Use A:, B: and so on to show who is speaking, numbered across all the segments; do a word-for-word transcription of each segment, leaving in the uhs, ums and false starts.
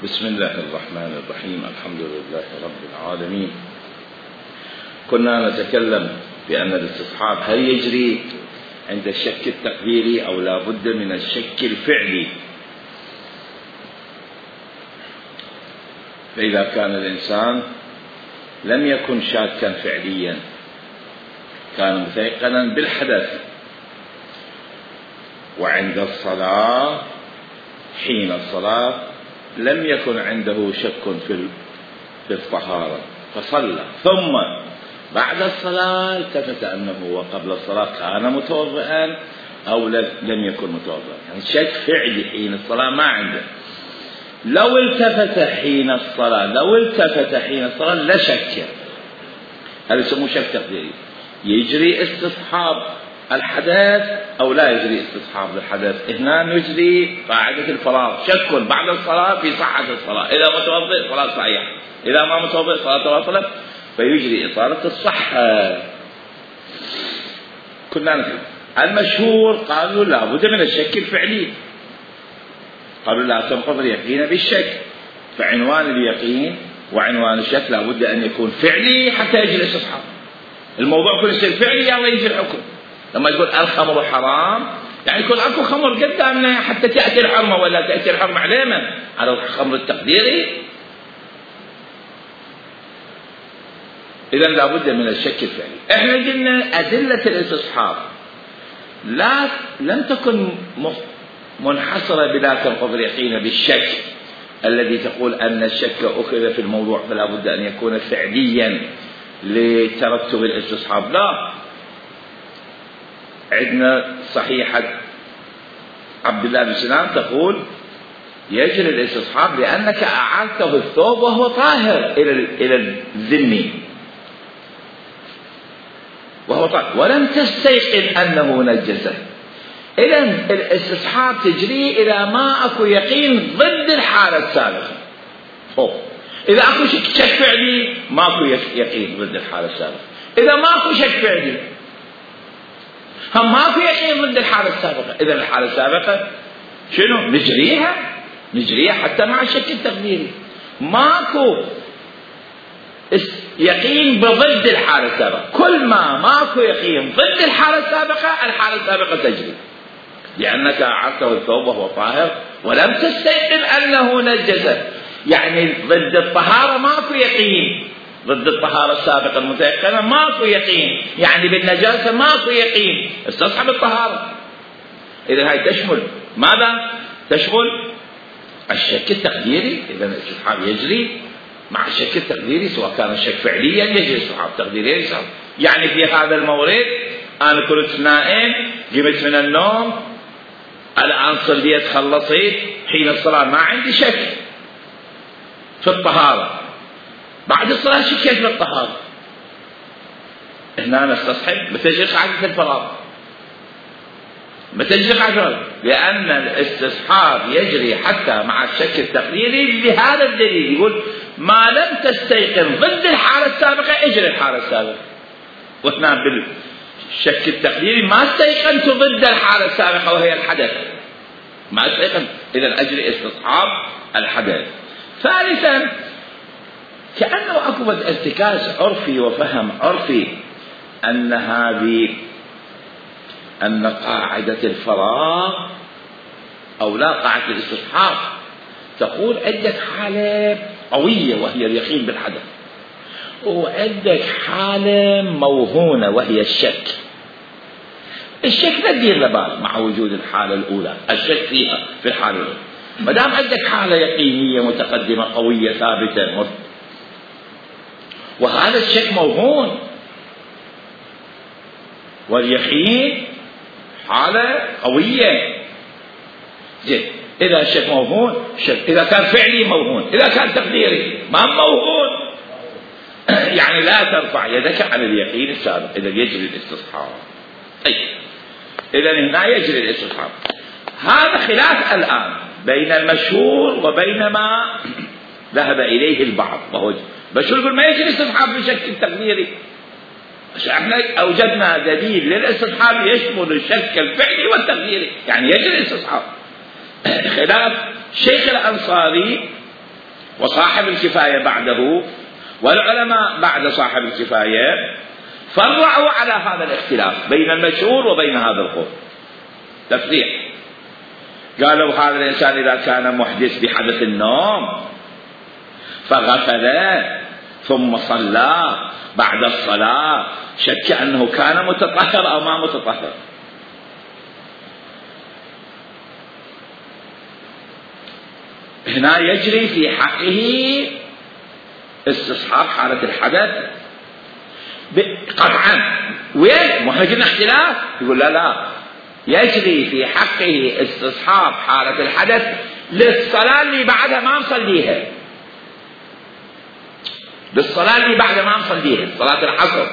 A: بسم الله الرحمن الرحيم. الحمد لله رب العالمين. كنا نتكلم بأن الاستصحاب هل يجري عند الشك التقديري أو لا بد من الشك الفعلي. فإذا كان الإنسان لم يكن شاكا فعليا، كان متيقنا بالحدث، وعند الصلاة حين الصلاة لم يكن عنده شك في الطهارة فصلى، ثم بعد الصلاة التفت أنه وقبل الصلاة كان متوضئا أو لم يكن متوضئا، يعني شك فعلي حين الصلاة ما عنده. لو التفت حين الصلاة لو التفت حين الصلاة لا شك، هذا يسموه شك تقديري. يجري استصحاب الحدث أو لا يجري استصحاب الحدث؟ هنا يجري قاعدة الفراغ، شك بعد الصلاة في صحة الصلاة، إذا متوضئ صلاة صحيحة، إذا ما متوضئ صلاة باطلة، فيجري إطالة الصحة. كنا نفهم المشهور قالوا لا بد من الشك الفعلي، قالوا لا تنقض اليقين بالشك، فعنوان اليقين وعنوان الشك لا بد أن يكون فعلي حتى يجري الاستصحاب. الموضوع كل شيء فعلي يلا يجي الحكم. لما يقول الخمر حرام يعني يكون اكو خمر قدامنا حتى تأتي الحرمة، ولا تأتي الحرمة علينا على الخمر التقديري. إذا لابد من الشك الفعلي. احنا قلنا أدلة الاستصحاب لا لم تكن منحصرة بلا تنقض اليقين بالشك الذي تقول أن الشك أخذ في الموضوع فلا بد أن يكون فعليا لترتب الاستصحاب. لا، عندنا صحيحة عبد الله بن سلام تقول يجري الاستصحاب لأنك أعادته الثوب وهو طاهر إلى إلى الذمي وهو طاهر ولم تستيقن أنه نجسه. إذا الاستصحاب تجري إلى ما أكو يقين ضد الحالة السابقة. إذا أكو شك فعلي ماكو يقين ضد الحالة السابقة. إذا ماكو شك فعلي هم ماكو يقين ضد الحالة السابقة، إذا الحالة السابقة شنو؟ نجريها نجريها حتى مع الشك التقديري. ماكو يقين بضد الحالة السابقة، كل ما ماكو يقين ضد الحالة السابقة الحالة السابقة تجري، لأنك أعدته الثوب وهو طاهر ولم تستيقن أنه نجسه. يعني ضد الطهارة ماكو يقين، ضد الطهارة السابقة المتيقنة ماكو يقين، يعني بالنجاسة ماكو يقين، استصحب الطهارة. إذا هاي تشمل ماذا؟ تشمل الشك التقديري. إذا الاستصحاب يجري مع الشك التقديري، سواء كان الشك فعليا يجري استصحاب تقديريا. يعني في هذا المورد أنا كنت نائم، قمت من النوم، الآن صليت خلصت، حين الصلاة ما عندي شك في الطهارة، بعد الصلاة شكيت في الطهارة، هنا نستصحب بتجري قاعدة الفراغ، بتجري قاعدة، لأن الاستصحاب يجري حتى مع الشك التقديري بهذا الدليل. يقول ما لم تستيقن ضد الحالة السابقة اجري الحالة السابقة، وهنا بالشك التقديري ما استيقنت ضد الحالة السابقة وهي الحدث، ما استيقنت، إذا أجري استصحاب الحدث. ثالثا كأنه أكو ارتكاز عرفي وفهم عرفي أن هذه أن قاعدة الفراغ أو لا قاعدة الاستصحاب تقول عندك حالة قوية وهي اليقين بالحدث، وعندك حالة موهونة وهي الشك. الشك لا تدير لبال مع وجود الحالة الأولى، الشك فيها في الحالة الأولى. ما دام عندك حالة يقينية متقدمة قوية ثابتة، وهذا الشك موهون، واليقين حالة قوية. زين، إذا الشك موهون، شك إذا كان فعلي موهون، إذا كان تقديري ما موهون يعني لا ترفع يدك على اليقين السابق، إذا يجري الاستصحاب. أي إذا هنا يجري الاستصحاب. هذا خلاف الآن بين المشهور وبين ما ذهب إليه البعض، وهو بشر يقول ما يجري استصحاب بشكل تقديري. احنا أوجدنا دليل للاستصحاب يشمل الشك الفعلي والتقديري، يعني يجري الاستصحاب. خلاف شيخ الأنصاري وصاحب الكفاية بعده والعلماء بعد صاحب الكفاية فرعوا على هذا الاختلاف بين المشهور وبين هذا القول تفريع. قالوا هذا الإنسان إذا كان محدث بحدث النوم فغفل ثم صلى بعد الصلاة شك أنه كان متطهر أو ما متطهر. هنا يجري في حقه استصحاب حالة الحدث قطعا. وين؟ ما احنا قلنا اختلاف. يقول لا لا، يجري في حقه استصحاب حالة الحدث للصلاة اللي بعدها ما مصليها، للصلاة اللي بعدها ما مصليها، صلاة العصر،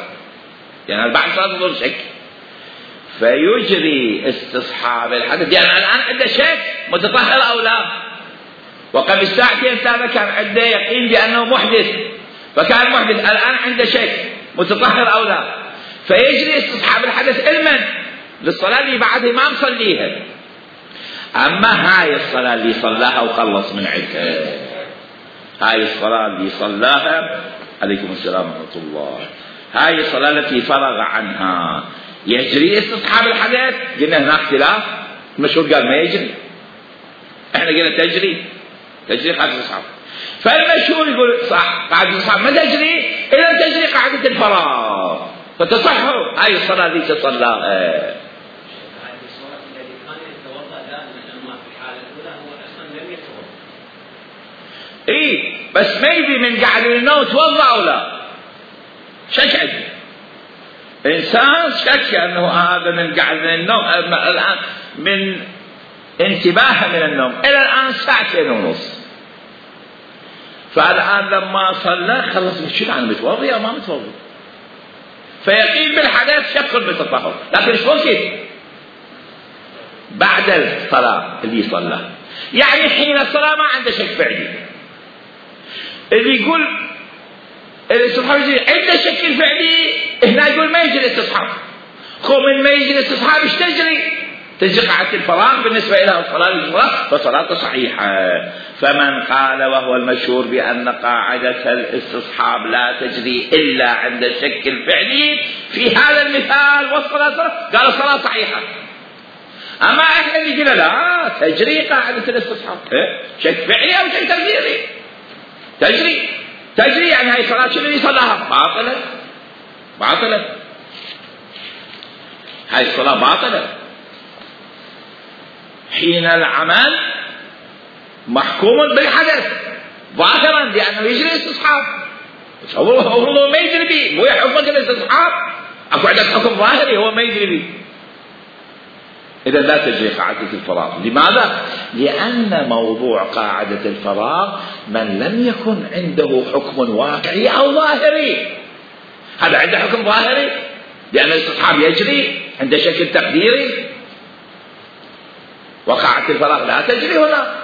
A: يعني بعد صلاة الظهر شك، فيجري استصحاب الحدث. يعني الآن عنده شك متطهر أو لا، وقبل ساعتين ثلاثة كان عنده يقين بأنه محدث، فكان محدث، الآن عنده شك متطهر أو لا، فيجري استصحاب الحدث علما للصلاة اللي بعدها ما مصليها. أما هاي الصلاة اللي صلاها وخلص من عدها، هاي الصلاة اللي صلاها عليكم السلام ورحمة الله، هاي الصلاة التي فرغ عنها يجري استصحاب الحدث. قلنا هنا اختلاف، المشهور قال ما يجري، احنا قلنا تجري، تجري قاعدة الاستصحاب. فالمشهور يقول صح قاعدة الاستصحاب ما تجري إلا تجري قاعدة الفراغ، فتصح هاي الصلاة اللي تصلاها. اي بس ما يدري من قاعد من النوم توضأ او لا، شك عنده انسان شك انه هذا من قاعد من النوم الان من انتباهه من النوم الى الان ساعتين ونص، فالان لما صلى خلص شنو انا متوضي او ما متوضي، فيقين بالحدث شك بالتطهر، لكن ايش وقت؟ بعد الصلاه اللي صلى، يعني حين الصلاه ما عنده شك فعلي. اللي يقول الاستصحاب يجري عنده شك فعلي، هنا يقول ما يجري استصحاب. خو من ما يجري استصحاب ايش تجري؟ تجري قاعدة الفراغ بالنسبة إلى الصلاة الفراغ فصلاته صحيحة. فمن قال وهو المشهور بأن قاعدة الاستصحاب لا تجري إلا عند الشك الفعلي في هذا المثال والصلاة قال الصلاة صحيحة. أما احنا اللي قلنا لا تجري قاعدة الاستصحاب، شك فعلي أو شك تقديري، تجري تجري يعني هاي صلاة شنو اللي صلاها باطلة، باطلة، هاي الصلاة باطلة. حين العمل محكوم بالحدث ظاهرا لأنه يجري استصحاب، هو ما يجري به، مو يحكم الاستصحاب، أكو عندك حكم ظاهري هو ما يجري به. إذا لا تجري قاعدة الفراغ. لماذا؟ لأن موضوع قاعدة الفراغ من لم يكن عنده حكم واقعي أو ظاهري، هذا عنده حكم ظاهري لأن الاستصحاب يجري عند شكل تقديري، وقاعدة الفراغ لا تجري هنا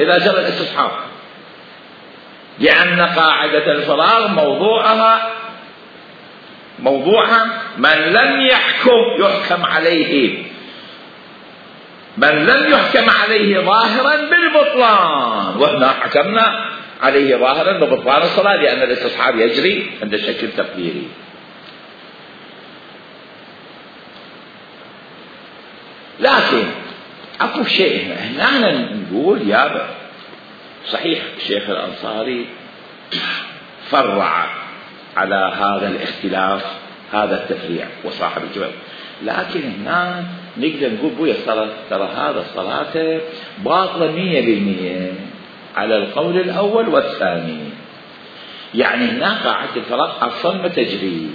A: إذا جرى الاستصحاب، لأن قاعدة الفراغ موضوعها موضوعها من لم يحكم يحكم عليه، من لم يحكم عليه ظاهرا بالبطلان، وهنا حكمنا عليه ظاهرا ببطلان الصلاة لأن الاستصحاب يجري عند شكل تقديري. لكن اكو شيء هنا نقول يا صحيح الشيخ الأنصاري فرع على هذا الاختلاف هذا التفريع وصاحب الجواب، لكن هنا نقدر نقول بويا الصلاة ترى هذا الصلاة باطلة مية بالمية على القول الأول والثاني. يعني هنا قاعدة الفراغ أصلا ما تجري،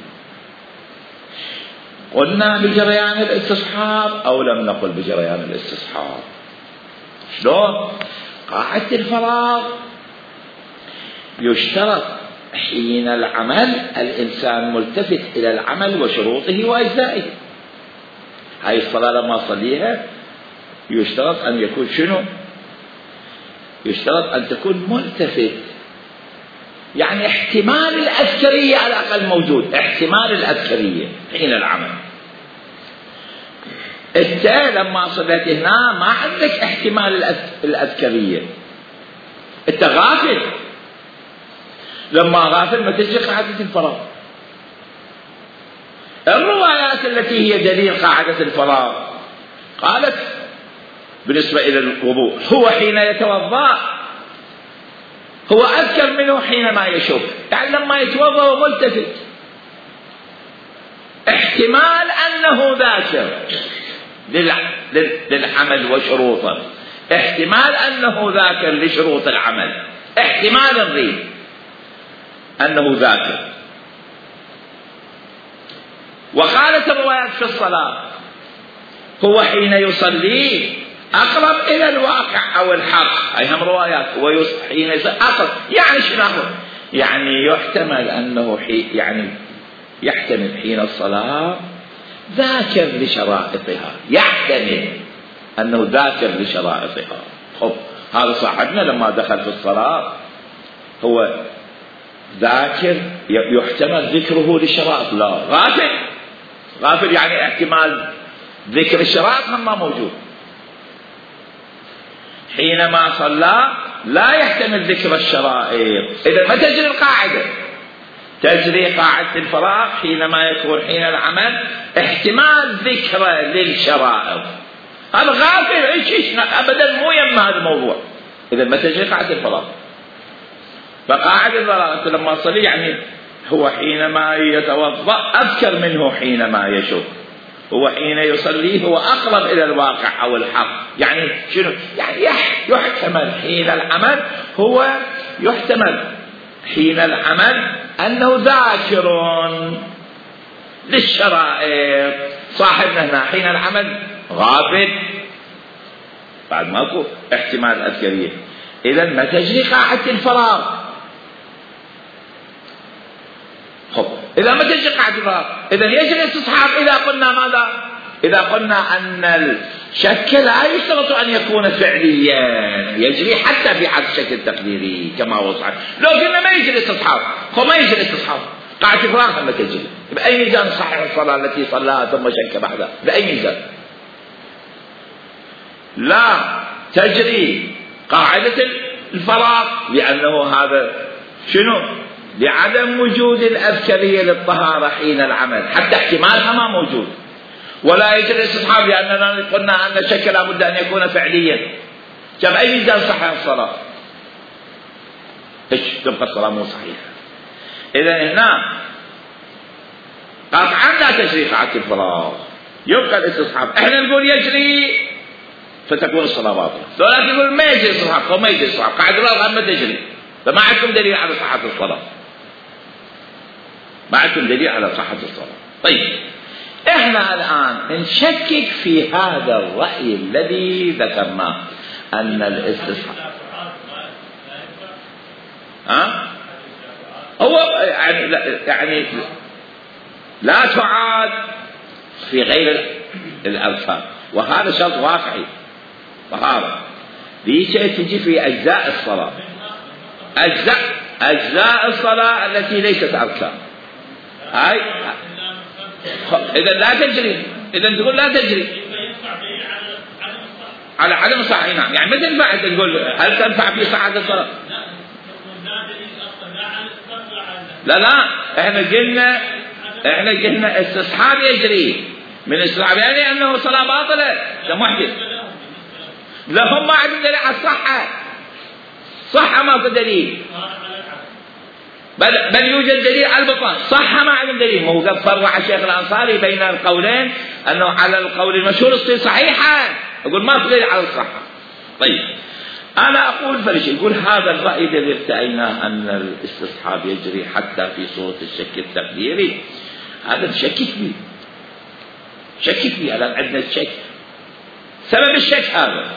A: قلنا بجريان الاستصحاب أو لم نقل بجريان الاستصحاب. شلون؟ قاعدة الفراغ يشترط حين العمل الإنسان ملتفت إلى العمل وشروطه وأجزائه. هاي الصلاة لما صليها يشترط أن يكون شنو؟ يشترط أن تكون ملتفت، يعني احتمال الأذكرية على الأقل موجود، احتمال الأذكرية حين العمل. انت لما صليت هنا ما عندك احتمال الأذكرية، انت غافل لما غافل ما تجري قاعدة الفراغ. الروايات التي هي دليل قاعدة الفراغ قالت بالنسبة إلى الوضوء هو حين يتوضأ هو أذكر منه حينما يشك، يعني لما يتوضأ وملتفت احتمال أنه ذاكر للعمل وشروطه، احتمال أنه ذاكر لشروط العمل، احتمال نريد أنه ذاكر. وقالت الروايات في الصلاة هو حين يصلي أقرب إلى الواقع أو الحق، أي هم روايات هو حين يصلي أقرب، يعني شنو أقرب؟ يعني يحتمل أنه حي يعني يحتمل حين الصلاة ذاكر لشرائطها، يحتمل أنه ذاكر لشرائطها. خب هذا صاحبنا لما دخل في الصلاة هو ذاكر، يحتمل ذكره لشرائط، لا غافل، غافل يعني احتمال ذكر الشرائط هم ما موجود. حينما صلى لا يحتمل ذكر الشرائط، إذا ما تجري القاعدة، تجري قاعدة الفراغ حينما يكون حين العمل احتمال ذكر للشرائط. هذا غافل ايش ابدا مو يم هذا الموضوع، اذا ما تجري قاعدة الفراغ. فقاعدة الفراغ لما صلي يعني هو حينما يتوضأ أذكر منه حينما يشك، هو حين يصلي هو أقرب إلى الواقع أو الحق، يعني شنو؟ يعني يحتمل حين العمل، هو يحتمل حين العمل أنه ذاكر للشرائط. صاحبنا هنا حين العمل غافل، بعد ماكو احتمال أذكرية، إذا ما تجري قاعدة الفراغ. خب إذا ما تجري قاعدة الفراغ إذا يجري استصحاب. إذا قلنا ماذا؟ إذا قلنا أن الشك لا يشترط أن يكون فعليا، يجري حتى في حد الشك التقديري كما هو صحيح. لو قلنا ما يجري استصحاب، هو ما يجري استصحاب، قاعدة الفراغ ما تجري، بأي ميزان صحيح الصلاة التي صلاها ثم شك بعدها؟ بأي ميزان؟ لا تجري قاعدة الفراغ، لأنه هذا شنو؟ لعدم وجود الأذكرية للطهارة حين العمل، حتى احتمالها ما موجود. ولا يجري الاستصحاب لأننا قلنا أن الشك لا بد أن يكون فعليا. كم أي ميزان صحيح الصلاة؟ إيش تبقى الصلاة مو صحيحة. إذا هنا قطعا لا تجري قاعدة الفراغ، يبقى الاستصحاب. احنا نقول يجري فتكون الصلاة باطلة، لا تقول ما يجري الاستصحاب، أو ما يجري الاستصحاب، قاعدة الفراغ ما تجري، فما عندكم دليل على صحة الصلاة، ما عندكم دليل على صحة الصلاة. طيب احنا الآن نشكك في هذا الرأي الذي ذكرناه أن الاستصحاب ها هو يعني لا يعني لا تعاد في غير الأركان، وهذا شرط واقعي. طهارة دي شيء تجي في أجزاء الصلاة، أجزاء أجزاء الصلاة التي ليست أركان، هاي إذا لا تجري، إذا تقول لا تجري على عدم الصحة. نعم، يعني مثل ما أنت تقول هل تنفع في صحة الصلاة؟ لا لا، احنا قلنا احنا قلنا استصحاب يجري من استصحاب يعني انه صلاة باطلة، ده محدث. لا هم ما عندهم دليل على الصحة، صحة ما في دليل، بل بل يوجد دليل على البطلان، صحة ما عندهم دليل. مو قد فرع الشيخ الأنصاري بين القولين انه على القول المشهور تصير صحيحة، يقول ما في دليل على الصحة. طيب أنا أقول فليش يقول هذا الرأي الذي ارتأيناه أن الاستصحاب يجري حتى في صورة الشك التقديري، هذا شكك فيه، شكك فيه. الآن عندنا الشك، سبب الشك هذا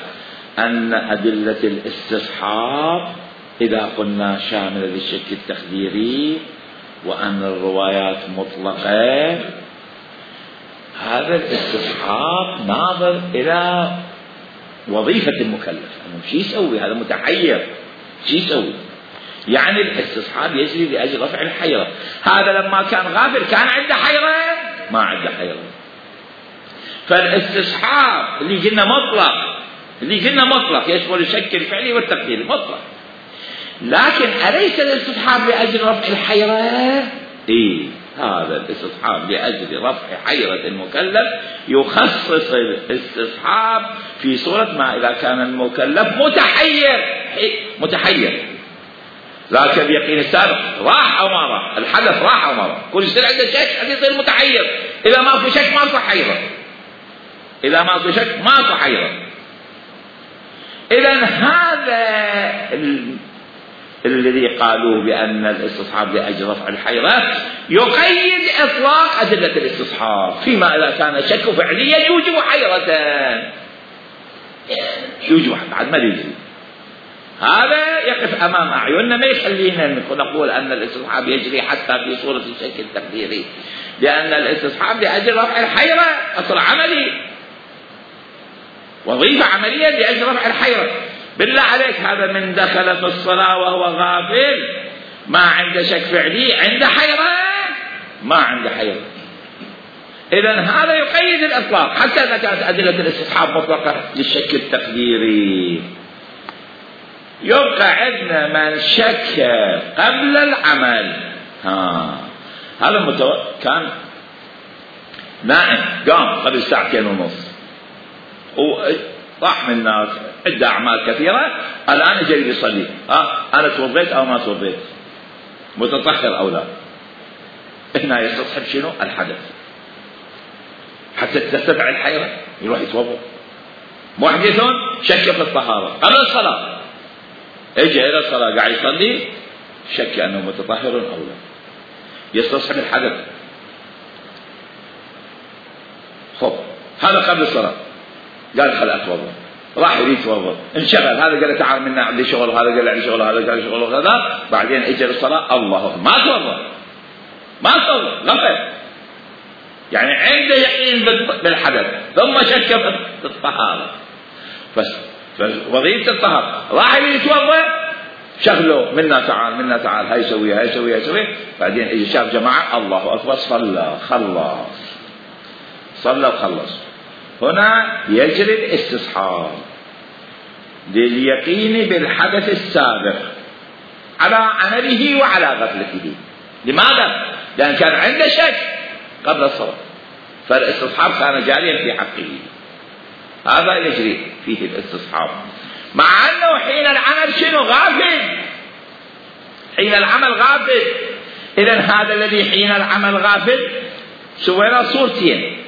A: أن أدلة الاستصحاب إذا قلنا شاملة للشك التقديري وأن الروايات مطلقة، هذا الاستصحاب ناظر إلى وظيفة المكلف، أنه شو يسوي هذا متحير، شو يسوي؟ يعني الاستصحاب يجري لأجل رفع الحيرة. هذا لما كان غافل كان عنده حيرة؟ ما عنده حيرة. فالاستصحاب اللي قلنا مطلق، اللي قلنا مطلق يشمل الشك الفعلي والتقديري مطلق. لكن أليس الاستصحاب لأجل رفع الحيرة؟ إيه، هذا الاستصحاب لأجل رفع حيرة المكلف يخصص الاستصحاب في صورة ما إذا كان المكلف متحير متحير ذاك اليقين السابق راح أو ما راح، الحدث راح أو ما راح، كل يصير عنده شك حتى يصير متحير. إذا ما في شك ما في حيرة، إذا ما في شك ما في حيرة. إذا هذا الذي قالوا بأن الاستصحاب لأجل رفع الحيرة يقيد إطلاق أدلة الاستصحاب فيما إذا كان الشك فعليا يوجب حيرة، يوجب بعد ما يجي. هذا يقف أمام أعيننا، ما يخلينا نقول أن الاستصحاب يجري حتى في صورة الشك التقديري، لأن الاستصحاب لأجل رفع الحيرة أصل عملي، وظيفة عملية لأجل رفع الحيرة. بالله عليك هذا من دخل في الصلاة وهو غافل ما عنده شك فعلي عنده حيرة؟ ما عنده حيرة. إذن هذا يقيد الإطلاق حتى إذا كانت أدلة الاستصحاب مطلقة للشك التقديري. يبقى عندنا من شك قبل العمل. ها هذا متو... كان نائم قام قبل ساعتين ونص وراح من الناس عنده أعمال كثيرة، الآن جاي يصلي، ها أنا توضيت أو ما توضيت، متطهر أو لا. هنا يستصحب شنو؟ الحدث حتى ترتفع الحيرة يروح يتوضا. محدث شك في الطهارة قبل الصلاة، اجى إلى الصلاة قاعد يصلي شك أنه متطهر أو لا، يستصحب الحدث. خب هذا قبل الصلاة قال خل أتوضا، راح يريد يتوضا، انشغل، هذا قال له تعال منا عندي شغل، هذا قال له عندي شغل، هذا قال له شغل وهذا، بعدين اجى للصلاة الله ما توضا ما توضا غفل، يعني عنده يقين بالحدث ثم شك في الطهارة. بس وظيفة الطهارة راح يتوضا شغله منا تعال منا تعال، هاي سوي هاي سوي هاي سوي، بعدين اجى شاف جماعة الله أكبر صلى خلص صلى وخلص. هنا يجري الاستصحاب لليقين بالحدث السابق على عمله وعلى غفلته. لماذا؟ لأن كان عنده شك قبل الصلاة، فالاستصحاب كان جاريا في حقه. هذا يجري فيه الاستصحاب، مع أنه حين العمل شنو؟ غافل، حين العمل غافل. إذن هذا الذي حين العمل غافل سوينا صورتين،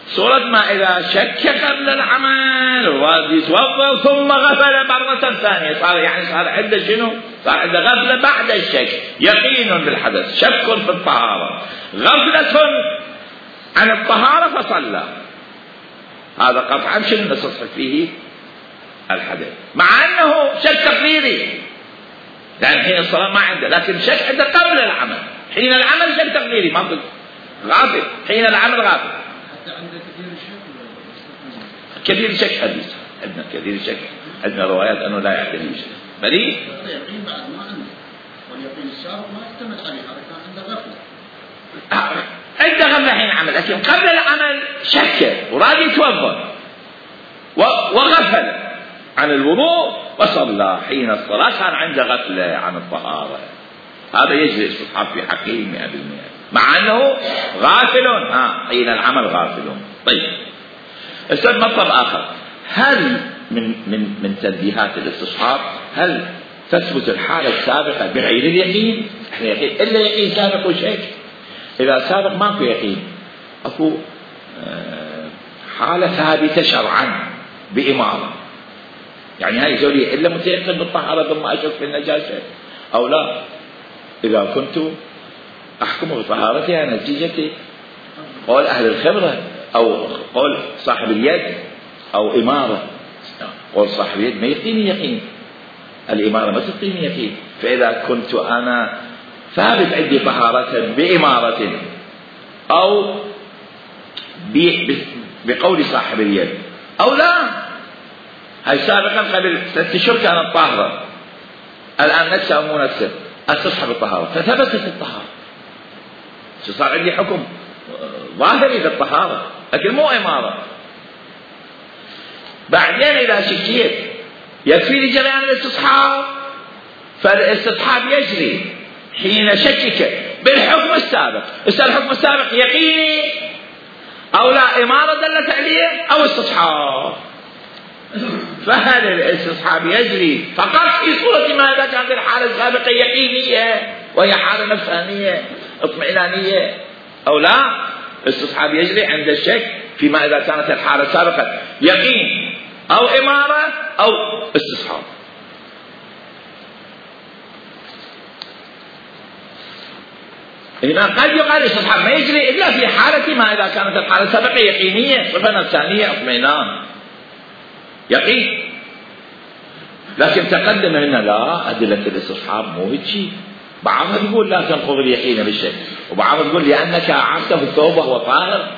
A: صورة ما إذا شك قبل العمل ويتوضأ ثم غفل مرة ثانية، صار يعني صار عنده شنو؟ صار عنده غفلة بعد الشك، يقين بالحدث، شك في الطهارة، غفلة عن الطهارة فصلى. هذا قطعا شنو نستصحب فيه الحدث، مع أنه شك تقديري، لأن حين الصلاة ما عنده، لكن شك عنده قبل العمل. حين العمل شك تقديري ما قلت غافل، حين العمل غافل. كثير الشك حديث عندنا، كثير الشك عندنا روايات أنه لا يعتني بشيء بريء.
B: اليقين بعد ما عنده، واليقين السابق ما يعتمد عليه، هذا كان عنده غفلة.
A: عنده غفلة حين العمل، لكن قبل العمل شك وراد يتوضأ وغفل عن الوضوء وصلى حين الصلاة، كان عنده غفلة عن الطهارة. هذا يجري استصحاب في حقه مئة بالمئة، مع أنه غافل ها حين العمل غافل. طيب أستاذ مطلب آخر، هل من من من تنبيهات الاستصحاب هل تثبت الحالة السابقة بغير اليقين؟ احنا يقين إلا يقين سابق وشك. إذا سابق ماكو يقين، أكو حالة ثابتة شرعا بإمارة، يعني هاي زولي إلا متيقن بالطهارة ثم أشك في النجاسة أو لا. إذا كنت أحكم بطهارتها نتيجة قول أهل الخبرة أو قول صاحب اليد أو إمارة. قول صاحب اليد ما يقيني يقين، الإمارة ما تقيني يقين. فإذا كنت أنا ثابت عندي طهارة بإمارة أو بقول صاحب اليد أو لا، هاي سابقا قبل ست أشهر كانت طاهرة، الآن نفسها أو مو نفسها استصحب الطهارة، فثبتت الطهارة، صار عندي حكم ظاهري للطهارة لكن مو إمارة. بعدين إذا شكيت يكفي لي جريان الاستصحاب، فالاستصحاب يجري حين شكك بالحكم السابق. الحكم السابق يقيني أو لا إمارة دلت عليه أو استصحاب، فهل الاستصحاب يجري فقط في صورة ما إذا كانت الحالة السابقة يقينية وهي حالة نفسانية اطمئنانية، أو لا الاستصحاب يجري عند الشك فيما إذا كانت الحالة السابقة يقين أو إمارة أو استصحاب. هنا قد يقال الاستصحاب ما يجري إلا في حالة ما إذا كانت الحالة السابقة يقينية صفة نفسانية اطمئنان يقين. لكن تقدم هنا لا، أدلة الاستصحاب مو هيك. بعضها يقول لا تنقض اليقين بالشك، وبعضها يقول لأنك أعدته الثوب وهو طاهر،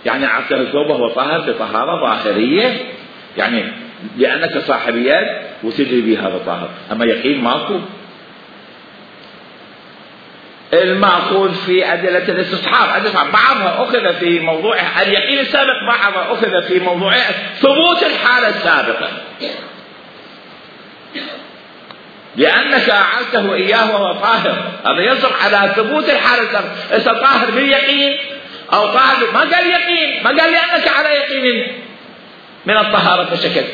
A: يعني أعدته الثوب وهو طاهر بطهارة ظاهرية، يعني لأنك صاحب يد وتدري بهذا طاهر، أما يقين ماكو. المعقول في أدلة الاستصحاب أدلة بعضها أخذ في موضوع اليقين السابق، بعضها أخذ في موضوع ثبوت الحالة السابقة، لأنك أعلته إياه وهو طاهر، هذا يصح على ثبوت الحالة السابقة. إذا طاهر باليقين أو طاهر ما قال يقين، ما قال لأنك على يقين من الطهارة بشكل،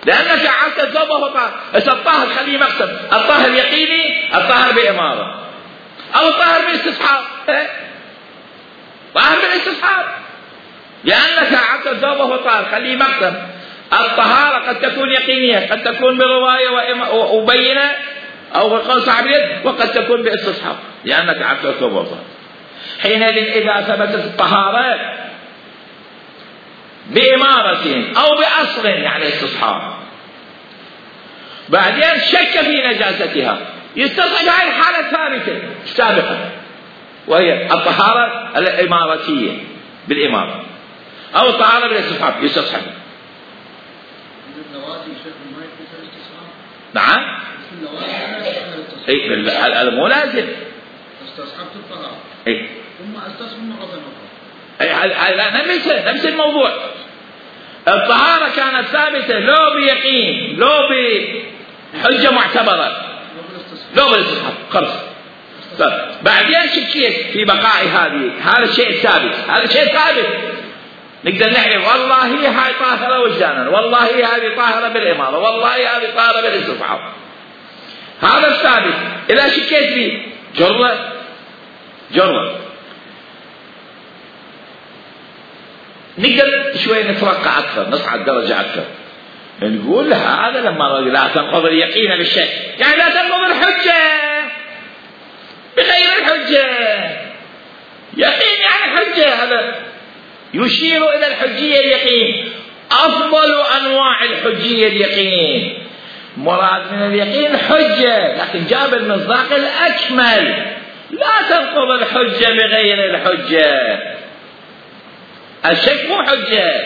A: لأنك أعلت الثوب وهو طاهر. إذا الطاهر خليه مقصد الطاهر يقيني، الطاهر بإمارة، أو الطاهر بالاستصحاب، طاهر بالاستصحاب، لأنك أعدت الثوب وهو طاهر خليه مقصد. الطهارة قد تكون يقينية، قد تكون برواية وبينة أو بقول صاحب اليد، وقد تكون باستصحاب لأنك أعدت الثوب وهو طاهر. حينئذ إذا ثبتت الطهارة بإمارة أو بأصل يعني استصحاب، بعدين شك في نجاستها، يستصحب هذه الحالة الثابتة السابقة وهي الطهارة الإماراتية بالإمارة أو الطهارة بالاستصحاب، يستصحب. نعم اي هذا مو لازم.
B: استصحبت الطهارة
A: اي
B: ثم استصحب مرة أخرى.
A: اي لا نفس نفس الموضوع. الطهارة كانت ثابتة لو بيقين لو بحجة معتبرة لو بالاستصحاب خلص. بعدين شكيت في بقاء هذه، هذا الشيء الثابت، هذا الشيء ثابت نقدر نعرف والله هاي طاهرة وجدانا، والله هذه طاهرة بالإمارة، والله هذه طاهرة بالاستصحاب، هذا الثابت. إذا شكيت فيه جرة جرة نقدر شوي نترقى أكثر، نصعد درجة أكثر، نقول هذا لما لا تنقض اليقين بالشك، يعني لا تنقض الحجة بغير الحجة. يقين يعني حجة، هذا يشير إلى الحجية اليقين. أفضل أنواع الحجية اليقين، مراد من اليقين حجة، لكن جاب المصداق الأكمل. لا تنقض الحجة بغير الحجة. الشك مو حجة،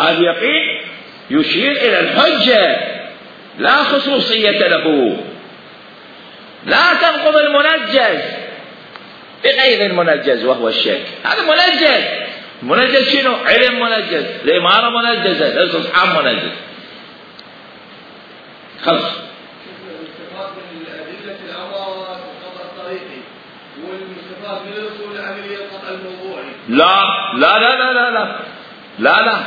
A: اليقين يشير إلى الحجة لا خصوصية له. لا تنقض المنجز بغير المنجز وهو الشك، هذا منجز. منجز شنو؟ علم منجز، الإمارة منجزة، الاستصحاب منجز. خلص.
C: الاستفاد من الأدلة الأول القطع الطريقي والاستفاد من الأصول العملية القطع الموضوعي.
A: لا لا لا لا لا لا لا لا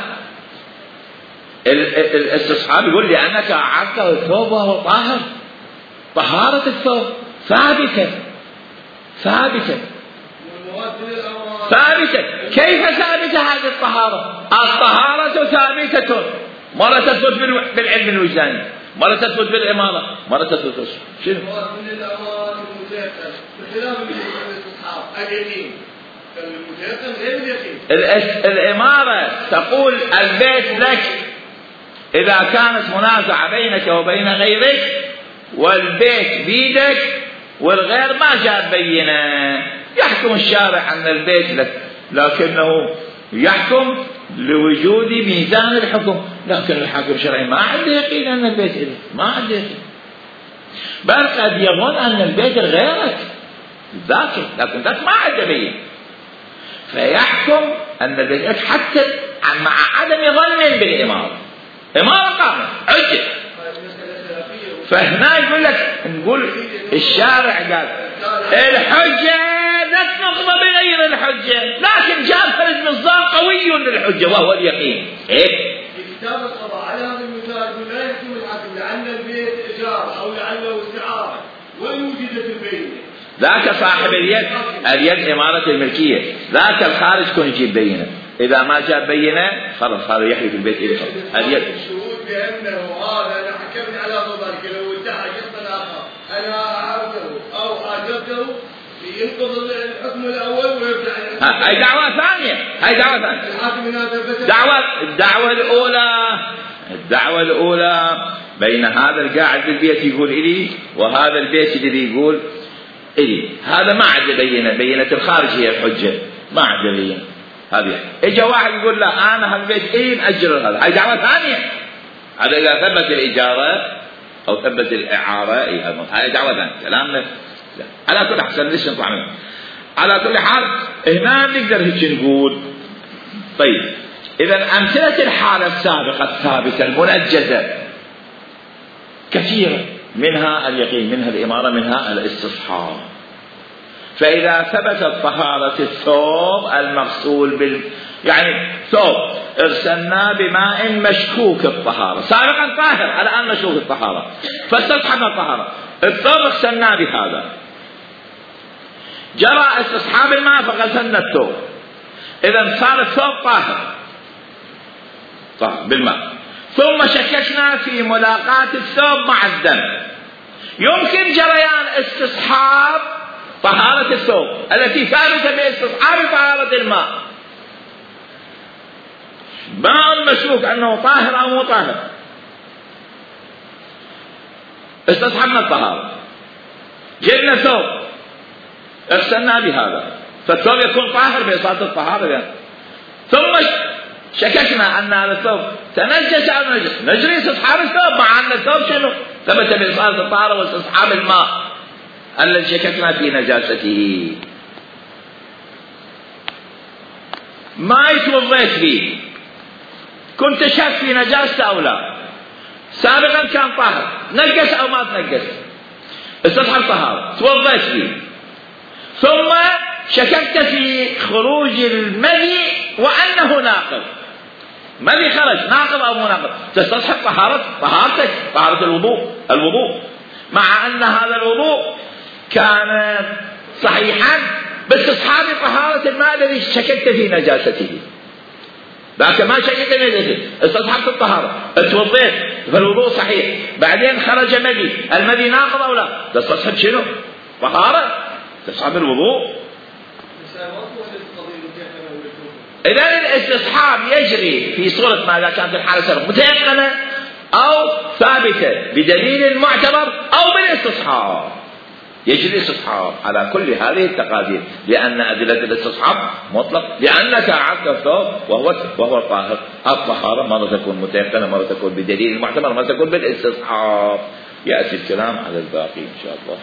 A: الاستصحاب يقول لأنك أعدت الثوب وهو طاهر، طهارة الثوب ثابتة ثابتة ثابتة. كيف ثابتة هذه الطهارة؟ الطهارة ثابتة، مرة تثبت بالعلم الوجداني، مرة تثبت بالإمارة، مرة تثبت شنو؟
C: من الأمر المتيقن بخلاف الاستصحاب اليقين، المتيقن غير اليقين.
A: الإمارة تقول البيت لك إذا كانت منازعة بينك وبين غيرك والبيت بيدك والغير ما جاء بينه، يحكم الشارع أن البيت لك، لكنه يحكم لوجود ميزان الحكم، لكن الحاكم الشرعي ما عنده يقين أن البيت إليك، ما عنده يقين، بل قد يظن أن البيت غيرك ذاك، لكن ذاك ما عنده بين، فيحكم أن البيت لك حتى مع عدم ظن بالإمارة. إمارة قامت حجة، فهنا يقول لك نقول الشارع قال الحجة لا تنقض بغير الحجة، لكن جاب فرد مصداق قوي للحجة وهو اليقين. إيه؟
C: كتاب القضاء على هذا المثال لا يحكم الحاكم لعل البيت إيجار أو لعله استعارة وإن وجدت البينة. ذاك
A: صاحب اليد، اليد إمارة الملكية، ذاك الخارج كون يجيب بينة، إذا ما جاب بينة خلاص هذا يحلف البيت إليه. اليد
C: الشهود بأنه هذا أنا حكمت على ذلك لو ادعى شخص آخر أنا أعرفه أو أعجبته ينقض الحكم الأول ويرجع.
A: هاي دعوة ثانية، هاي دعوة ثانية. دعوة الدعوة الأولى، الدعوة الأولى بين هذا القاعد بالبيت يقول إلي وهذا البيت الذي يقول إلي، هذا ما عاد بينة، بينة الخارج هي الحجة، ما عاد بينة. هذه إجا واحد يقول لا أنا هالبيت إيه نأجر هذا، هاي دعوة ثانية. هذا إذا ثبت الإجارة أو ثبت الإعارة، هاي دعوة ثانية. كلامنا لا. على كل حال ليش نطلع منه؟ على كل حال هنا نقدر هيك نقول. طيب إذا أمثلة الحالة السابقة الثابتة المنجزة كثيرة، منها اليقين، منها الإمارة، منها الاستصحاب. فإذا ثبتت طهارة الثوب المغسول بال يعني ثوب ارسلناه بماء مشكوك الطهارة، سابقا طاهر الآن مشكوك الطهارة، فاستصحبنا الطهارة، الثوب اغسلناه بهذا، جرى استصحاب الماء فغسلنا الثوب، إذا صار الثوب طاهر طاهر بالماء، ثم شككنا في ملاقاة الثوب مع الدم، يمكن جريان استصحاب طهارة الثوب التي ثابتة باستصحاب طهارة الماء، ماء مشكوك أنه طاهر أو مو طاهر، استصحبنا الطهارة، جبنا ثوب اغسلنا بهذا، فالثوب يكون طاهر بإصابة الطهارة يعني. ثم شككنا أن هذا الثوب تنجس أو نجس، نجري استصحاب الثوب مع أن الثوب شنو ثبت بإصابة الطهارة واستصحاب الماء الذي شككنا في نجاسته. ما يتوضيت فيه، كنت شك في نجاسته أو لا، سابقا كان طاهر، نجس أو ما تنجس، استصحب طهارة، توضيت فيه، ثم شككت في خروج المذي وأنه ناقض، مذي خرج ناقض أو مو ناقض، تستصحب طهارة طهارتك، طهارة الوضوء الوضوء مع أن هذا الوضوء كان صحيحا باستصحاب طهارة الماء الذي شككت في نجاسته، ذاك ما شككت في نجاسته، استصحبت الطهارة، اتوضيت فالوضوء صحيح، بعدين خرج مذي، المذي ناقض أو لا، تستصحب شنو؟ طهارة، تستصحب الوضوء. إذا الاستصحاب يجري في صورة ماذا كان في الحالة السابقة متيقنة أو ثابتة بدليل معتبر أو بالاستصحاب، يجري استصحاب على كل هذه التقادير، لأن أدلة الاستصحاب مطلق، لأنك أعدت الثوب وهو وهو طاهر، الطهارة مرة تكون متيقنة، مرة تكون بدليل معتبر، مرة تكون بالاستصحاب. يأتي الكلام على الباقي إن شاء الله.